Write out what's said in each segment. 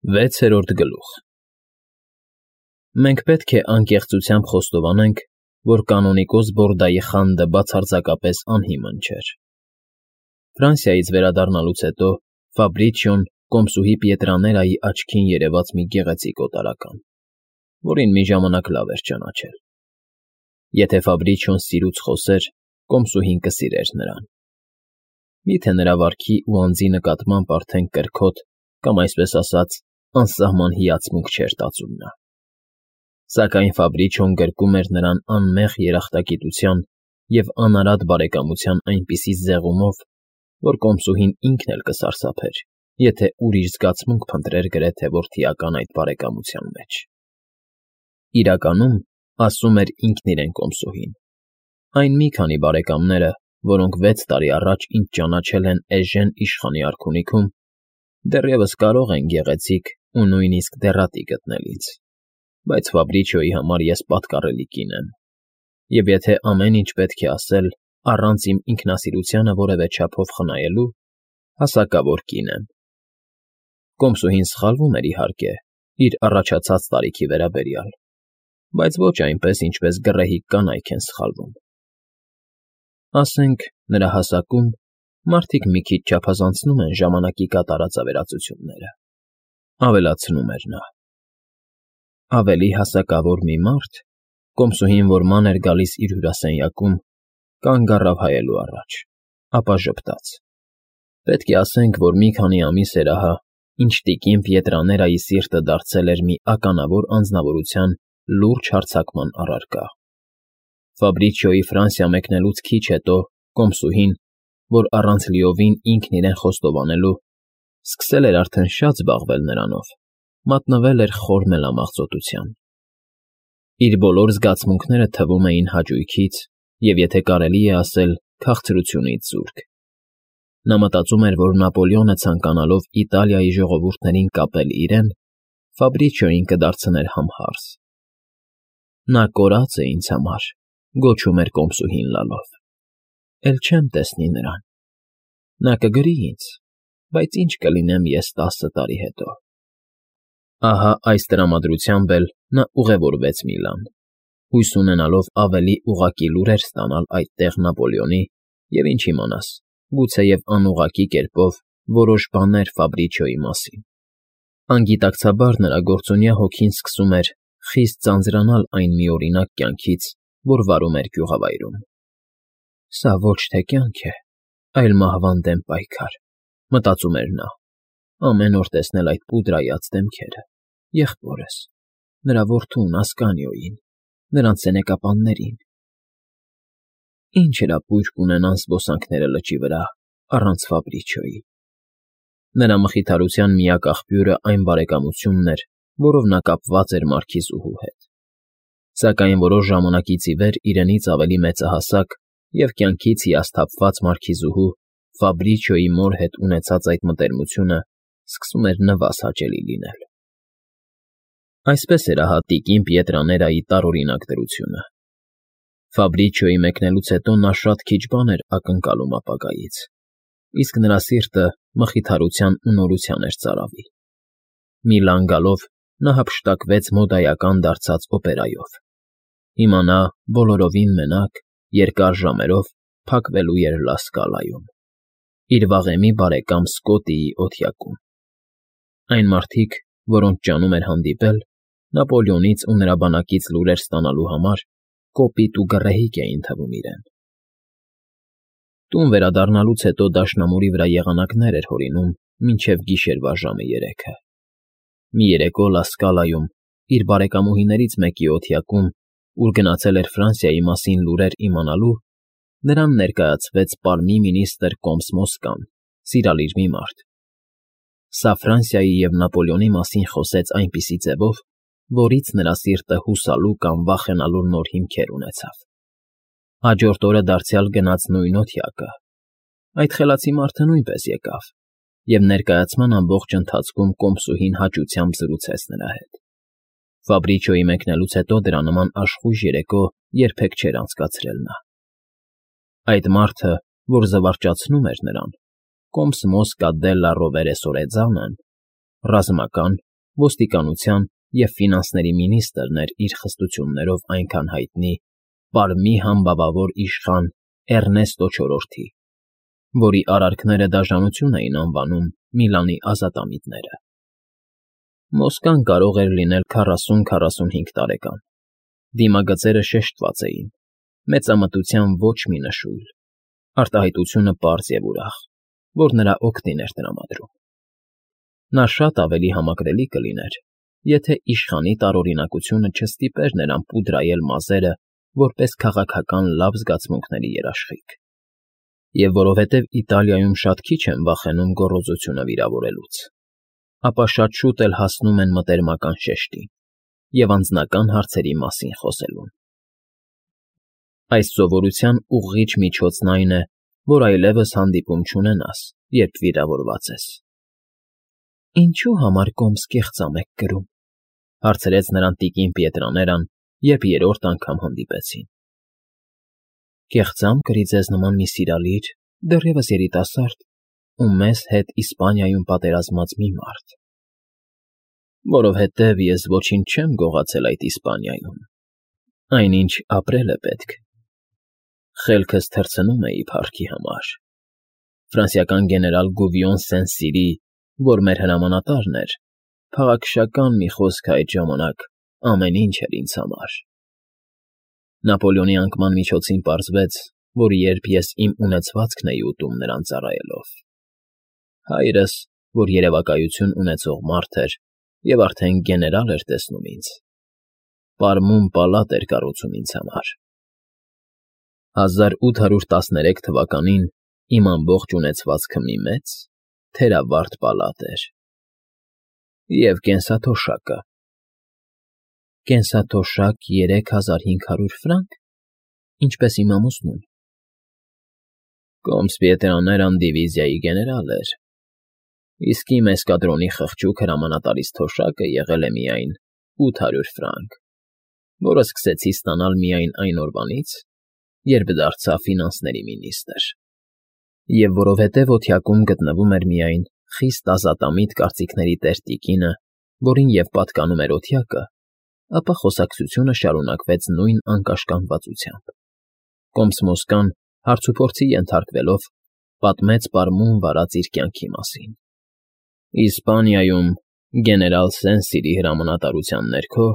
6-րդ գլուխ Մենք պետք է անկեղծությամբ խոստովանենք, որ կանոնիկոս Բորդայի խանդը բացարձակապես անհիմն չէր։ Ֆրանսիայից վերադառնալուց հետո Ֆաբրիչիոն կոմսուհի Պիետրաներայի աչքին երևաց մի գեղեցիկ օտարական, որին մի ժամանակ լավ էր ճանաչել։ Եթե Ֆաբրիչիոն սիրուց խոսեր, կոմսուհին կսիրեր նրան։ Միթե նրա վարքի ու անձի նկատմամբ արդեն կրքոտ կամ, այսպես ասած, անսահման հիացմունք չէր տածում նա։ Սակայն Ֆաբրիչիոն գրկում էր նրան անմեղ երախտագիտության և անարատ բարեկամության այնպիսի զեղումով, որ կոմսուհին ինքն էլ կսարսափեր, եթե ուրիշ զգացմունք փնտրեր գրեթե որդիական այդ բարեկամության մեջ։ Իրականում, ասում էր ինքն իրեն կոմսուհին, այն մի քանի բարեկամները, որոնք 6 տարի առաջ ինձ ճանաչել են Էժեն իշխանի արքունիքում, դեռևս կարող են գեղեցիկ ու նույնիսկ դեռատի գտնել ինձ, բայց Ֆաբրիչիոյի համար ես պատկառելի կին եմ, և եթե ամեն ինչ պետք է ասել առանց իմ ինքնասիրությանը որևէ չափով խնայելու, հասակավոր կին եմ։ Կոմսուհին սխալվում էր, իհարկե, իր առաջացած տարիքի վերաբերյալ, բայց ոչ այնպես, ինչպես գռեհիկ կանայք են սխալվում։ Ասենք, նրա հասակում մարդիկ մի քիչ չափազանցնում են ժամանակի կատարած ավերածությունները, ավելացնում էր նա։ Ավելի հասակավոր մի մարդ, կոմսուհին, որ ման էր գալիս իր հյուրասենյակում, կանգ առավ հայելու առաջ, ապա ժպտաց։ Պետք է ասենք, որ մի քանի ամիս էր ահա, ինչ տիկին Պիետրաներայի սիրտը դարձել էր մի ականավոր անձնավորության լուրջ հարձակման առարկա։ Ֆաբրիչիոյի Ֆրանսիա մեկնելուց քիչ հետո կոմսուհին, որ առանց լիովին ինքն իրեն խոստովանելու, սկսել էր արդեն շատ զբաղվել նրանով, մատնվել էր խոր մելամաղձոտության։ Իր բոլոր զգացմունքները թվում էին հաճույքից և, եթե կարելի է ասել, քաղցրությունից զուրկ։ Նա մտածում էր, որ Նապոլեոնը ցանկանալով Իտալիայի ժողովուրդներին կապել իրեն, Ֆաբրիչիոյին կդարձներ համհարս։ Նա կորած է ինձ համար, գոչում էր կոմսուհին լալով, էլ չեմ տեսնի նրան։ Նա կգրի ինձ, բայց ինչ կլինեմ ես 10 տարի հետո։ Ահա այս տրամադրությամբ էլ նա ուղևորվեց Միլան, հույս ունենալով ավելի ուղղակի լուրեր ստանալ այդտեղ Նապոլեոնի և, ինչ իմանաս, գուցեև անուղղակի կերպով որոշ բաներ Ֆաբրիչիոյի մասին։ Անգիտակցաբար նրա գործունյա հոգին սկսում էր խիստ ձանձրանալ այն միօրինակ կյանքից, որ վարում էր գյուղավայրում։ «Սա ոչ թե կյանք է, այլ մահվան դեմ պայքար», մտածում էր նա, ամեն օր տեսնել այդ պուդրայած դեմքերը, եղբորս, նրա որդուն Ասկանիոյին, նրանց սենեկապաններին։ Ինչ հրապույր կունենան զբոսանքները լճի վրա առանց Ֆաբրիչիոյի։ Նրա մխիթարության միակ աղբյուրը այն բարեկամությունն էր, որով նա կապված էր մարքիզուհու հետ։ Սակայն որոշ ժամանակից ի վեր իրենից ավելի մեծահասակ և կյանքից հիասթափված մարքիզուհու Ֆաբրիչիոյի մոր հետ ունեցած այդ մտերմությունը սկսում էր նվազ հաճելի լինել։ Այսպես էր ահա տիկին Պիետրաներայի տարօրինակ դրությունը։ Ֆաբրիչիոյի մեկնելուց հետո նա շատ քիչ բան էր ակնկալում ապագայից, իսկ նրա սիրտը մխիթարության ու նորության էր ծարավել։ Միլան գալով նա հափշտակվեց մոդայական դարձած օպերայով։ Հիմա նա բոլորովին մենակ, երկար ժամերով փակվելու էր Լա Սկալայում, իր վաղեմի բարեկամ Սկոտիի օթյակում։ Այն մարդիկ, որոնց ջանում էր հանդիպել, Նապոլեոնից ու նրա բանակից լուրեր ստանալու համար կոպիտ ու գռեհիկ էին թվում իրեն։ Տուն վերադառնալուց հետո դաշնամուրի վրա եղանակներ էր հորինում մինչև գիշերվա ժամը 3-ը։ Մի երեկո Լա Սկալայում, իր բարեկամուհիներից մեկի օթյակում, ուր գնացել էր Ֆրանսիայի մասին լուրեր իմանալու, նրան ներկայացվեց պարմի մինիստր կոմս Մոսկան, սիրալիր մի մարդ։ Սա Ֆրանսիայի և Նապոլեոնի մասին խոսեց այնպիսի ձևով, որից նրա սիրտը հուսալու կամ վախենալու նոր հիմքեր ունեցավ։ Հաջորդ օրը դարձյալ գնաց նույն օթյակը։ Այդ խելացի մարդը նույնպես եկավ, և ներկայացման ամբողջ ընթացքում կոմսուհին հաճությամբ զրուցեց նրա հետ։ Ֆաբրիչիոյի մեկնելուց հետո դրա նման աշխույժ երեկո երբեք չէր անցկացրել նա։ Այդ մարդը, որ զվարճացնում էր նրան, կոմս Մոսկա դելլա Ռովերե Սորեձանն, ռազմական ոստիկանության և ֆինանսների մինիստրն էր իր խստություններով այնքան հայտնի Պարմի համբավավոր իշխան Էռնեստո չորրորդի, որի արարքները դաժանություն էին անվանում Միլանի ազատամիտները։ Մոսկան կարող էր լինել 40-45 տարեկան, դիմագծերը շեշտված էին, մեծամտության ոչ մի նշույլ, արտահայտությունը պարզ և ուրախ, որ նրա օգտին էր տրամադրում։ Նա շատ ավելի համակրելի կլիներ, եթե իշխանի տարօրինակությունը չստիպեր նրան պուդրայել մազերը որպես քաղաքական լավ զգացմունքների երաշխիք, և որովհետև Իտալիայում շատ քիչ են վախենում գոռոզությունը վիրավորելուց, ապա շատ շուտ էլ հասնում են մտերմական շեշտին և անձնական հարցերի մասին խոսելուն։ Այս սովորության ուղղիչ միջոցն այն է, որ այլևս հանդիպում չունենաս, երբ վիրավորված ես։ Ինչու համար կոմս կեղծամ եք կրում, հարցրեց նրան տիկին Պիետրաներան, երբ երրորդ անգամ հանդիպեցին։ Կեղծամ կրի ձեզ նման մի սիրալիր, դեռևս երիտասարդ ու մեզ հետ Իսպանիայում պատերազմած մի մարդ։ Որովհետև ես ոչինչ չեմ գողացել այդ Իսպանիայում, այնինչ ապրել է պետք։ Խելքս թռցնում էի փառքի համար։ Ֆրանսիական գեներալ Գուվիոն Սեն֊Սիրի, որ մեր հրամանատարն էր, քաղաքշական մի խոսք այդ ժամանակ ամեն ինչ էր ինձ համար։ Նապոլեոնի անկման միջոցին պարզվեց, որ երբ ես իմ ունեցվածքն էի ուտում նրան ծառայելով, հայրս, որ երևակայություն ունեցող մարդ էր և արդեն գեներալ էր տեսնում ինձ, Պարմում պալատ էր կառուցում ինձ համար։ 1813 թվականին իմ ամբողջ ունեցվածքը մի մեծ, թերավարտ պալատ էր։ Եվ կենսաթոշակը։ Կենսաթոշակ 3500 ֆրանկ, ինչպես իմ ամուսնուն։ Կոմս Պիետրաներան դիվիզիայի գեներալ էր, իսկ իմ էսկադրոնի խղճուկ հրամանատարից թոշակը եղել է միայն 800 ֆրանկ, որը սկսեցի ստանալ միայն այն օրվանից, երբ դարձա ֆինանսների մինիստրը, և որովհետև օթյակում գտնվում էր միայն խիստ ազատամիտ կարծիքների տեր տիկինը, որին և պատկանում էր օթյակը, ապա խոսակցությունը շարունակվեց նույն անկաշկանդվածությամբ։ Կոմս Մոսկան, հարցուփորձի ենթարկվելով, պատմեց Պարմում վարած իր կյանքի մասին։ Իսպանիայում գեներալ Սեն֊Սիրի հրամանատարության ներքո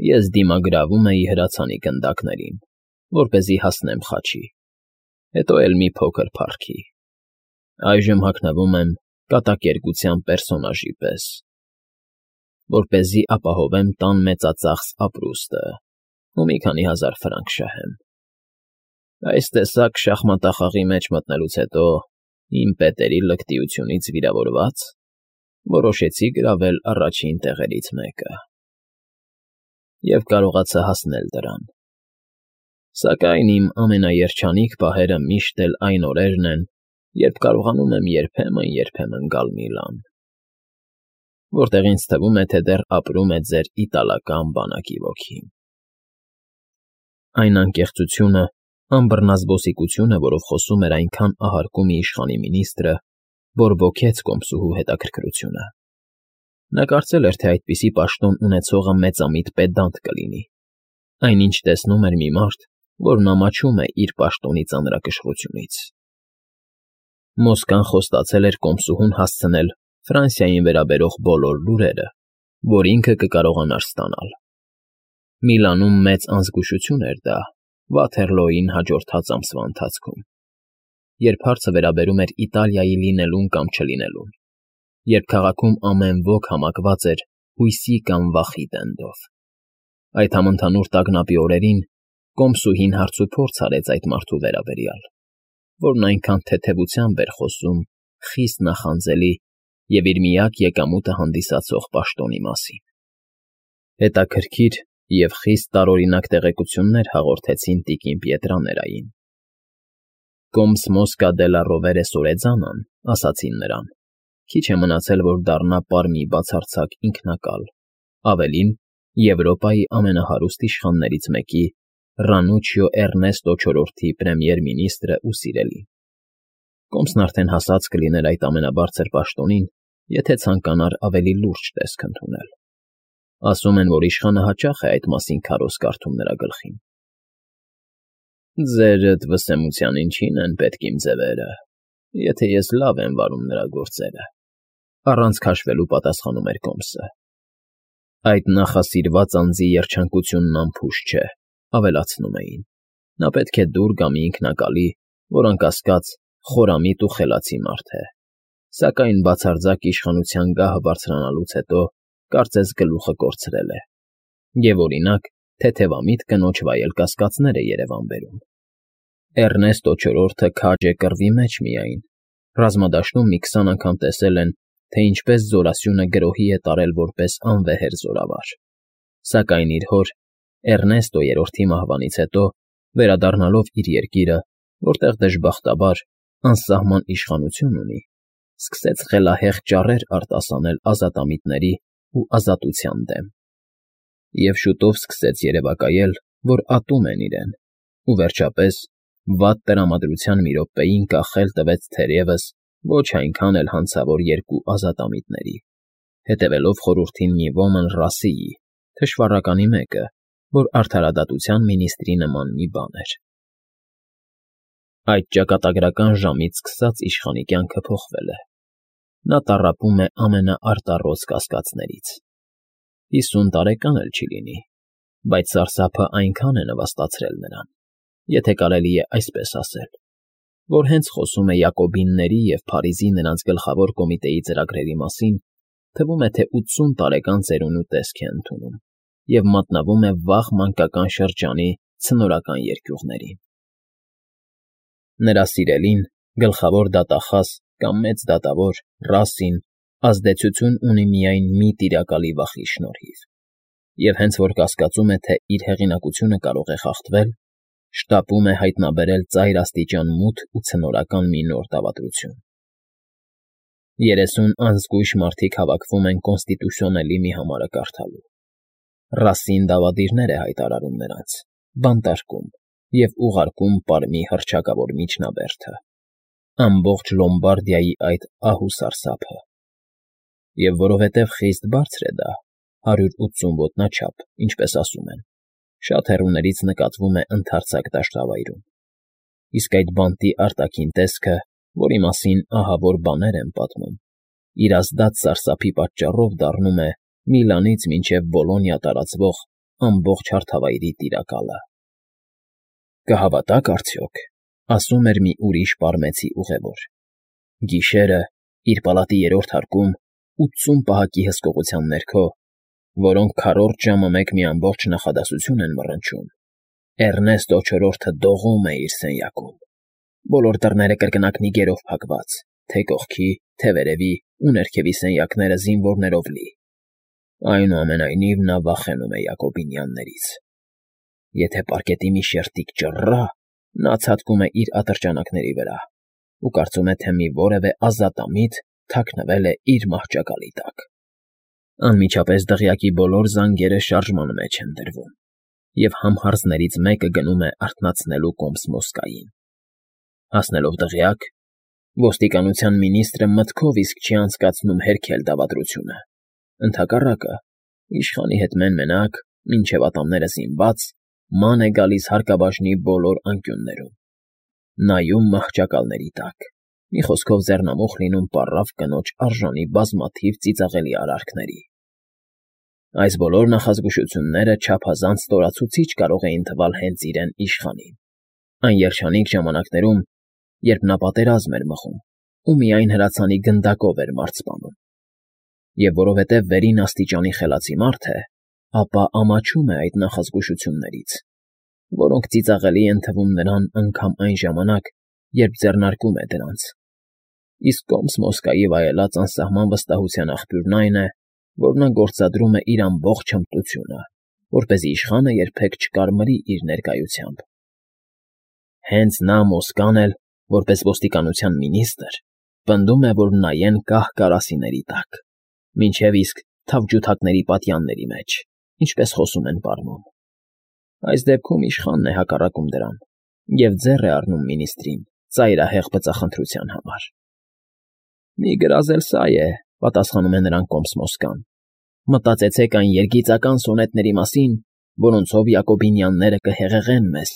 ես դիմագրավում էի հրացանի գնդակներին, որպեսզի հասնեմ խաչի, հետո էլ մի փոքր փառքի։ Այժմ հագնվում եմ կատակերգության պերսոնաժի պես, որպեսզի ապահովեմ տան մեծածախս ապրուստը ու մի քանի հազար ֆրանկ շահեմ։ Այս տեսակ շախմատախաղի մեջ մտնելուց հետո, իմ պետերի լկտիությունից վիրավորված, որոշեցի գրավել առաջին տեղերից մեկը։ Եվ կարողացա հասնել դրան։ Սակայն իմ ամենաերջանիկ պահերը միշտ էլ այն օրերն են, երբ կարողանում եմ երբեմն գալ Միլան, որտեղ ինձ թվում է, թե դեռ ապրում է ձեր իտալական բանակի ոգին։ Այն անկեղծությունը, անբռնազբոսիկությունը, որով խոսում էր այնքան ահարկու մի իշխանի մինիստրը, բորբոքեց կոմսուհու հետաքրքրությունը։ Նա կարծել էր, թե այդպիսի պաշտոն ունեցողը մեծամիտ պեդանտ կլինի, այնինչ տեսնում էր մի մարդ, որն ամաչում է իր պաշտոնի ծանրակշռությունից։ Մոսկան խոստացել էր կոմսուհուն հասցնել Ֆրանսիային վերաբերող բոլոր լուրերը, որ ինքը կկարողանար ստանալ։ Միլանում մեծ անզգուշություն էր դա Վաթերլոյին հաջորդած ամսվա ընթացքում, երբ հարցը վերաբերում էր Իտալիայի լինելուն կամ չլինելուն, երբ քաղաքում ամեն ոք համակված էր հույսի կամ վախի տենդով։ Այդ համընդհանուր տագնապի օրերին կոմսուհին հարցուփորձ արեց այդ մարդու վերաբերյալ, որն այնքան թեթևությամբ էր խոսում խիստ նախանձելի և իր միակ եկամուտը հանդիսացող պաշտոնի մասին։ Հետաքրքիր և խիստ տարօրինակ տեղեկություններ հաղորդեցին տիկին Պիետրաներային։ Կոմս Մոսկա դե լա Ռովերը Սորեձանան, ասացին նրան, քիչ է մնացել, որ դառնա Պարմի բացարձակ ինքնակալ, ավելին Եվրոպայի ամենահարուստ իշխաններից մեկի Ռանուչիո Էռնեստո չորրորդի պրեմիեր֊մինիստրը ու սիրելին։ Կոմսն արդեն հասած կլիներ այդ ամենաբարձր պաշտոնին եթե ցանկանար ավելի լուրջ տեսք ընդունել։ Ասում են, որ իշխանը հաճախ է այդ մասին քարոզ կարդում նրա գլխին։ Ձերդ վսեմության ինչին են պետք իմ ձևերը, եթե ես լավ եմ վարում նրա գործերը, առանց քաշվելու պատասխանում էր Կոմսը։ Այդ նախասիրված անձի երջանկությունն անփուշ չէ, ավելացնում էին։ Նա պետք է դուր գա մի ինքնակալի, որ անկասկած խորամիտ ու խելացի մարդ է, սակայն բացարձակ իշխանության գահը բարձրանալուց հետո կարծես գլուխը կորցրել է, և օրինակ թեթևամիտ կնոջ վայել կասկածներ է Երևան բերում։ Էռնեստո չորրորդը քաջ է կռվի մեջ միայն, ռազմադաշտում մի 20 անգամ տեսել են, թե ինչպես Զորասյունը գրոհի է տարել որպես անվեհեր զորավար, սակայն իր հոր Էռնեստո երրորդի մահվանից հետո, վերադառնալով իր երկիրը, որտեղ դժբախտաբար անսահման իշխանություն ունի, սկսեց խելահեղ ճառեր արտասանել ազատամիտների ու ազատության դեմ, և շուտով սկսեց երևակայել, որ ատում են իրեն, ու վերջապես վատ տրամադրության մի րոպեին կախել տվեց թերևս ոչ այնքան էլ հանցավոր երկու ազատամիտների, հետևելով խորհրդին մի ոմն Ռասիի, թշվառականի մեկը, որ արդարադատության մինիստրի նման մի բան էր։ Այդ ճակատագրական ժամից սկսած իշխանի կյանքը փոխվել է։ Նա տառապում է ամենաարտառոց կասկածներից։ 50 տարեկան էլ չի լինի, բայց սարսափը այնքան է նվաստացրել նրան, եթե կարելի է այսպես ասել, որ հենց խոսում է Յակոբինների և Փարիզի նրանց գլխավոր կոմիտեի ծրագրերի մասին, թվում է, թե 80 տարեկան ծերունու տեսք է ընդունում և մատնվում է վաղ մանկական շրջանի ցնորական երկյուղներին։ Նրա սիրելին, գլխավոր դատախազ կամ մեծ դատավոր Ռասին ազդեցություն ունի միայն մի տիրակալի վախի շնորհիվ, և հենց որ կասկածում է, թե իր հեղինակությունը կարող է խախտվել, շտապում է հայտնաբերել ծայր աստիճան մութ ու ցնորական մի նոր դավադրություն։ 30 անզգույշ մարդիկ հավաքվում են կոնստիտուցիոնելի մի համարը կարդալու։ Ռասին դավադիրներ է հայտարարում նրանց, բանտարկում և ուղարկում Պարմի հռչակավոր միջնաբերդը, ամբողջ Լոմբարդիայի այդ ահ ու սարսափը։ Եվ որովհետև խիստ բարձր է դա, 180 ոտնաչափ, ինչպես ասում են, շատ հեռուներից նկատվում է ընդարձակ դաշտավայրում, իսկ այդ բանտի արտաքին տեսքը, որի մասին ահավոր բաներ են պատմում, իր ազդած սարսափի պատճառով դառնում է Միլանից մինչև Բոլոնիա տարածվող ամբողջ հարթավայրի տիրակալը։ Կհավատաք արդյոք, ասում էր մի ուրիշ պարմեցի ուղևոր, գիշերը իր պալատի երրորդ հարկում 80 պահակի հսկողության ներքո, որոնք քառորդ ժամը մեկ մի ամբողջ նախադասություն են մռնչում, Էռնեստո չորրորդը դողում է իր սենյակում, բոլոր դռները կրկնակնի գերով փակված, թե կողքի, թե վերևի ու ներքևի սենյակները զինվորներով լի։ Այնուամենայնիվ նա վախենում է Յակոբինյաններից։ Եթե պարկետի մի շերտիկ ճռռա, նա ցատկում է իր ատրճանակների վրա ու կարծում է, թե մի որևէ ազատամիտ թաքնվել է իր մահճակալի տակ։ Անմիջապես դղյակի բոլոր զանգերը շարժման մեջ են դրվում, և համհարձներից մեկը գնում է արթնացնելու Կոմս Մոսկային։ Հասնելով դղյակ, ոստիկանության մինիստրը մտքով իսկ չի անցկացնում հերքել դավադրությունը։ Ընդհակառակը, իշխանի հետ մեն֊մենակ, մինչև ատամները զինված, ման է գալիս հարկաբաժնի բոլոր անկյուններում, նայում մահճակալների տակ, մի խոսքով ձեռնամուխ լինում պառավ կնոջ արժանի բազմաթիվ ծիծաղելի արարքների։ Այս բոլոր նախազգուշությունները չափազանց ստորացուցիչ կարող էին թվալ հենց իրեն իշխանին, այն երջանիկ ժամանակներում, երբ նա պատերազմ էր մղում ու միայն հրացանի գնդակով էր մարդ սպանում։ Եվ որովհետև վերին աստիճանի խելացի մարդ է, ապա ամաչում է այդ նախազգուշություններից, որոնք ծիծաղելի են թվում նրան անգամ այն ժամանակ, երբ ձեռնարկում է դրանց։ Իսկ Կոմս Մոսկայի վայելած անսահման վստահության աղբյուրն այն է, որ նա գործադրում է իր ամբողջ հմտությունը, որպեսզի իշխանը երբեք չկարմրի իր ներկայությամբ։ Հենց նա Մոսկան էլ, որպես ոստիկանության մինիստր, պնդում է, որ նայեն կահ կարասիների տակ, մինչև իսկ թավջութակների պատյանների մեջ, ինչպես խոսում են պարմում։ Այս դեպքում իշխանն է հակառակում դրան և ձեռ է առնում մինիստրին ծայրահեղ բծախնդրության համար։ Մի գրազ էլ սա է, պատասխանում է նրան Կոմսմոսկան, մտածեցեք այն երգիծական սոնետների մասին, որոնցով Յակոբինյանները կհեղեղեն մեզ,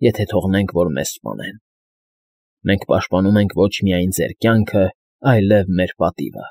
եթե թողնենք, որ մեզ սպանեն. մենք պաշտպանում ենք ոչ միայն ձեր կյանքը, այլև մեր պատիվը։